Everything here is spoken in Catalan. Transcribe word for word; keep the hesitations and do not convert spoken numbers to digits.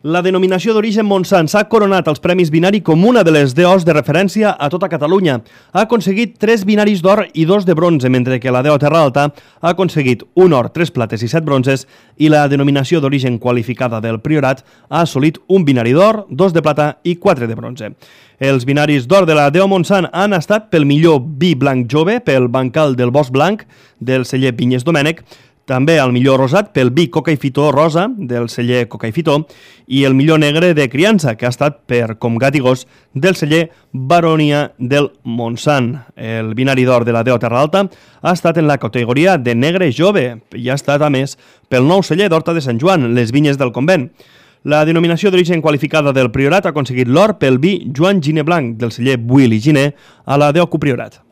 La denominació d'origen Montsant s'ha coronat als Premis Binari com una de les D Os de referència a tota Catalunya. Ha aconseguit tres binaris d'or i dos de bronze, mentre que la D O Terra Alta ha aconseguit un or, tres plates i set bronzes, i la denominació d'origen qualificada del Priorat ha assolit un binari d'or, dos de plata i quatre de bronze. Els binaris d'or de la D O Montsant han estat pel millor vi blanc jove, pel bancal del Bosc Blanc, del celler Vinyes Domènec, també el millor rosat pel vi Coca i Fitó Rosa, del celler Coca i Fitó, i el millor negre de criança, que ha estat per Com Gat i Gos, del celler Baronia del Montsant. El binari d'or de la D O Terra Alta ha estat en la categoria de negre jove i ha estat, a més, pel nou celler d'Horta de Sant Joan, les Vinyes del Convent. La denominació d'origen qualificada del Priorat ha aconseguit l'or pel vi Joan Giner Blanc, del celler Buil i Giner, a la D O Copriorat.